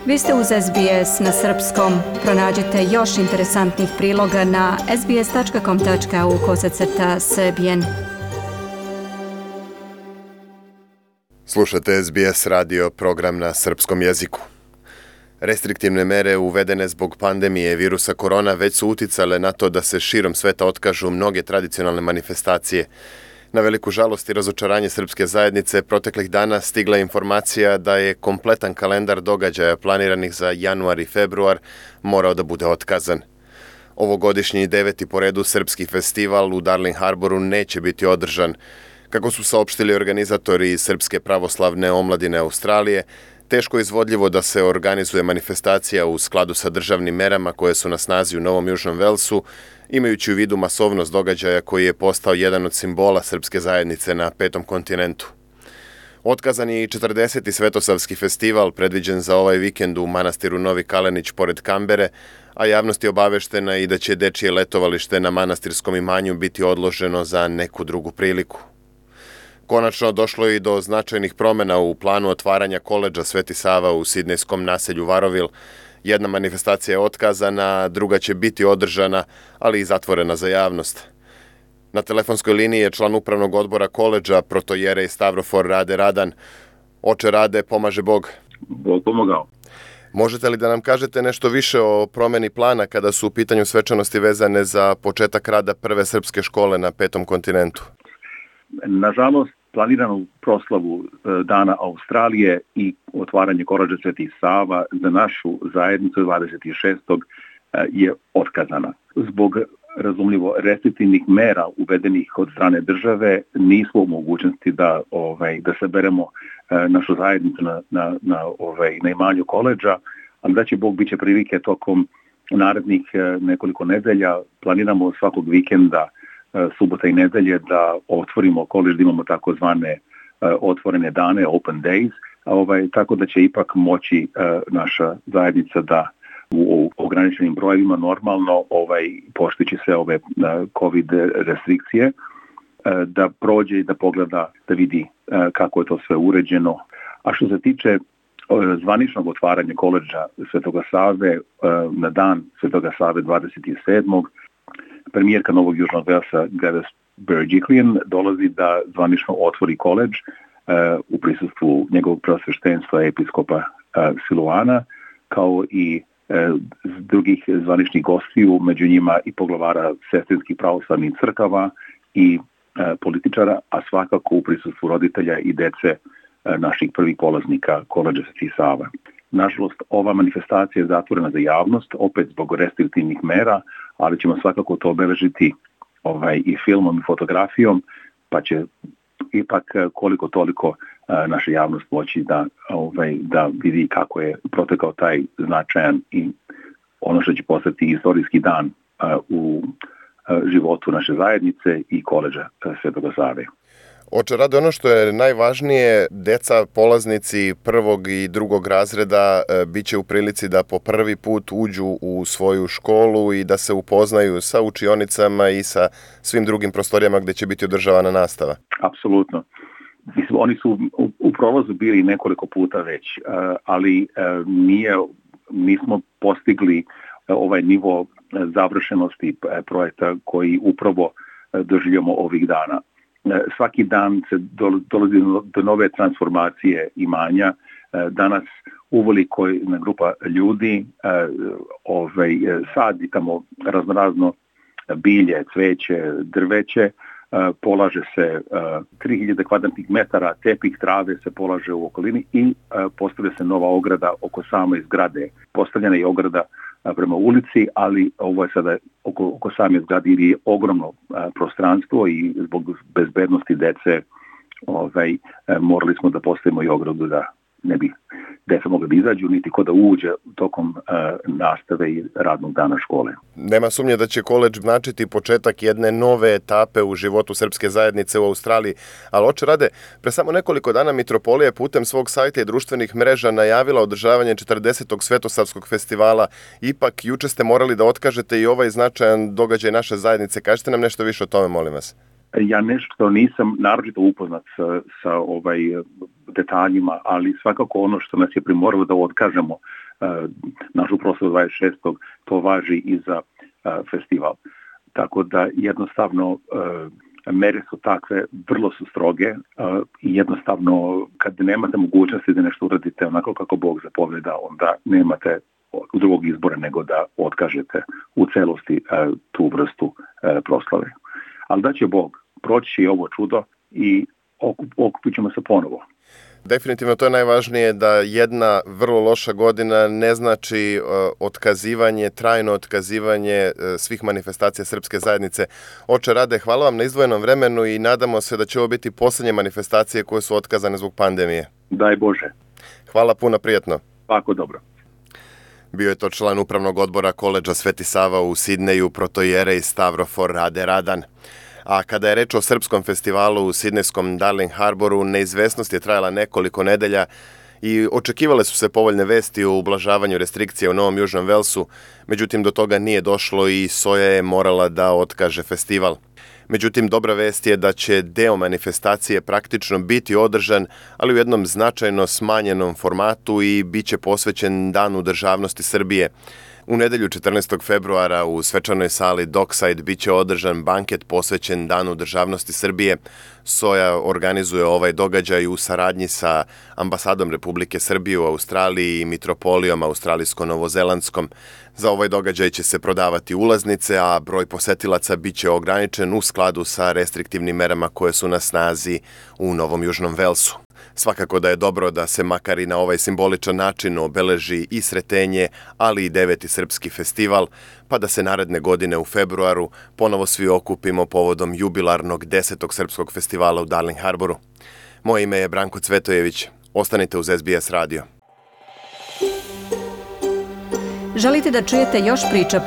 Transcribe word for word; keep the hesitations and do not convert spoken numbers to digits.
Vi ste uz S B S na srpskom. Pronađite još interesantnih priloga na sbs.com.au kosacrta srbijen. Slušate S B S radio, program na srpskom jeziku. Restriktivne mere uvedene zbog pandemije virusa korona već su uticale na to da se širom sveta otkažu mnoge tradicionalne manifestacije. Na veliku žalost i razočaranje srpske zajednice proteklih dana stigla je informacija da je kompletan kalendar događaja planiranih za januar i februar morao da bude otkazan. Ovogodišnji deveti po redu srpski festival u Darling Harboru neće biti održan. Kako su saopštili organizatori Srpske pravoslavne omladine Australije, teško je izvodljivo da se organizuje manifestacija u skladu sa državnim merama koje su na snazi u Novom Južnom Velsu, imajući u vidu masovnost događaja koji je postao jedan od simbola srpske zajednice na petom kontinentu. Otkazan je i četrdeseti Svetosavski festival predviđen za ovaj vikend u manastiru Novi Kalenić pored Kambere, a javnost je obaveštena i da će dečije letovalište na manastirskom imanju biti odloženo za neku drugu priliku. Konačno došlo je i do značajnih promjena u planu otvaranja koledža Sveti Sava u sidnejskom naselju Varovil. Jedna manifestacija je otkazana, druga će biti održana, ali i zatvorena za javnost. Na telefonskoj liniji je član upravnog odbora koledža protojerej Stavrofor Rade Radan. Oče Rade, pomaže Bog. Bog pomogao. Možete li da nam kažete nešto više o promjeni plana kada su u pitanju svečanosti vezane za početak rada prve srpske škole na petom kontinentu? Nažalost, planiranu proslavu Dana Australije i otvaranje koledža Sveti Sava za našu zajednicu dvadeset šestog je otkazana. Zbog razumljivo restriktivnih mera uvedenih od strane države nismo u mogućnosti da ovaj da saberemo našu zajednicu na na na ovaj na imanju koledža, ali da će Bog biće prilike tokom narednih nekoliko nedelja. Planiramo svakog vikenda, subota i nedelje, da otvorimo koledž, da imamo takozvane otvorene dane, open days, ovaj, tako da će ipak moći naša zajednica da u ograničenim brojevima normalno ovaj, poštujući sve ove COVID restrikcije, da prođe i da pogleda, da vidi kako je to sve uređeno. A što se tiče zvaničnog otvaranja koledža Svetoga Save na dan Svetoga Save dvadeset sedmog premijerka Novog Južnog Velsa Gladys Berejiklian dolazi da zvanično otvori koledž u prisustvu njegovog preosveštenstva episkopa Siluana, kao i drugih zvaničnih gostiju, među njima i poglavara sestrinskih pravoslavnih crkava i političara, a svakako u prisustvu roditelja i dece naših prvih polaznika koledža Sveti Sava. Nažalost, ova manifestacija je zatvorena za javnost, opet zbog restriktivnih mera, ali ćemo svakako to obeležiti ovaj, i filmom i fotografijom, pa će ipak koliko toliko naša javnost moći da, ovaj, da vidi kako je protekao taj značajan i ono što će postati istorijski dan u životu naše zajednice i koledža Svetoga Save. Oče Rade, ono što je najvažnije, deca polaznici prvog i drugog razreda bit će u prilici da po prvi put uđu u svoju školu i da se upoznaju sa učionicama i sa svim drugim prostorijama gdje će biti održavana nastava. Apsolutno. Mislim, oni su u, u prolazu bili nekoliko puta već, ali nije, nismo postigli ovaj nivo završenosti projekta koji upravo doživljamo ovih dana. Svaki dan se dolazi do nove transformacije imanja. Danas uveliko jedna grupa ljudi ovaj, sadi tamo raznorazno bilje, cveće, drveće, polaže se tri hiljade kvadratnih metara tepih trave se polaže u okolini i postavlja se nova ograda oko same zgrade. Postavljena je ograda prema ulici, ali ovo je sada oko, oko same zgrade je ogromno a, prostranstvo i zbog bezbednosti dece ovaj, morali smo da postavimo i ogradu da ne bi deca mogla da izađu, niti ko da uđe tokom uh, nastave i radnog dana škole. Nema sumnje da će koledž značiti početak jedne nove etape u životu srpske zajednice u Australiji, ali oče Rade, pre samo nekoliko dana Mitropolija je putem svog sajta i društvenih mreža najavila održavanje četrdesetog Svetosavskog festivala. Ipak, juče ste morali da otkažete i ovaj značajan događaj naše zajednice. Kažite nam nešto više o tome, molim vas. Ja nešto nisam naročito upoznat sa, sa ovaj detaljima, ali svakako ono što nas je primoralo da otkažemo našu proslavu dvadeset šestog to važi i za festival. Tako da jednostavno mere su takve, vrlo su stroge i jednostavno kad nemate mogućnosti da nešto uradite onako kako Bog zapoveda, onda nemate drugog izbora nego da otkažete u celosti tu vrstu proslave. Ali da će Bog proći ovo čudo i okupit ćemo se ponovo. Definitivno to je najvažnije, da jedna vrlo loša godina ne znači otkazivanje, trajno otkazivanje svih manifestacija srpske zajednice. Oče Rade, hvala vam na izdvojenom vremenu i nadamo se da će ovo biti posljednje manifestacije koje su otkazane zbog pandemije. Daj Bože. Hvala puno, prijatno. Tako dobro. Bio je to član upravnog odbora koledža Sveti Sava u Sidneju, protojerej Stavrofor Rade Radan. A kada je reč o srpskom festivalu u sidnejskom Darling Harboru, neizvesnost je trajala nekoliko nedelja i očekivale su se povoljne vesti o ublažavanju restrikcija u Novom Južnom Velsu, međutim do toga nije došlo i S O J A je morala da otkaže festival. Međutim, dobra vest je da će deo manifestacije praktično biti održan, ali u jednom značajno smanjenom formatu i bit će posvećen Danu državnosti Srbije. U nedelju četrnaestog februara u svečanoj sali Dockside bit će održan banket posvećen Danu državnosti Srbije. S O J A organizuje ovaj događaj u saradnji sa ambasadom Republike Srbije u Australiji i mitropolijom australijsko-novozelandskom. Za ovaj događaj će se prodavati ulaznice, a broj posetilaca bit će ograničen u skladu sa restriktivnim merama koje su na snazi u Novom Južnom Velsu. Svakako da je dobro da se makar i na ovaj simboličan način obeleži i Sretenje, ali i deveti srpski festival, pa da se naredne godine u februaru ponovo svi okupimo povodom jubilarnog desetog srpskog festivala u Darling Harboru. Moje ime je Branko Cvetojević. Ostanite uz S B S radio. Želite da čujete još priča